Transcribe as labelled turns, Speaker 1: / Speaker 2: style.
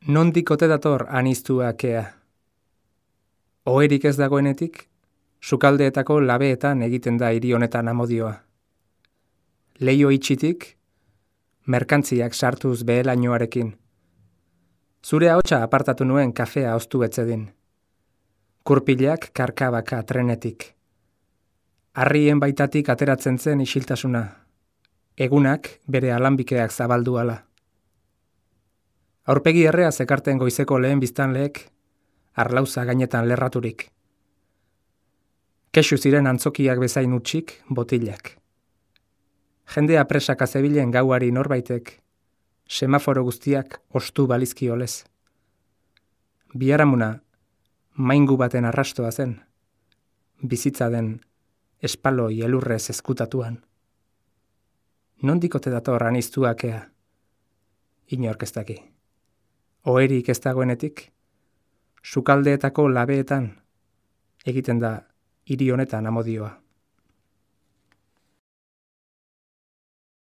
Speaker 1: Nondik ote dator aniztuakea? Oherik ez dagoenetik, sukaldeetako labeetan egiten da hiri honetan amodioa. Leio itxitik, merkantziak sartuz behelainoarekin. Zure ahotsa apartatu nuen kafea oztu etzedin. Kurpilak karkabaka trenetik. Harrien baitatik ateratzen zen isiltasuna. Egunak bere alanbikeak zabaldu ala. Aurpegi errea zekarten goizeko lehen biztanleek, arlauza gainetan lerraturik. Kexu ziren antzokiak bezain utxik, botilak. Jendea presaka zebilen gauari norbaitek, semaforo guztiak ostu balizkiolez. Biharamuna, maingu baten arrastoa zen, bizitza den espaloi elurrez ezkutatuan. Nondik ote dator aniztuakea? Inork ez daki. Oherik ez dagoenetik, sukaldeetako labeetan egiten da hiri honetan amodioa.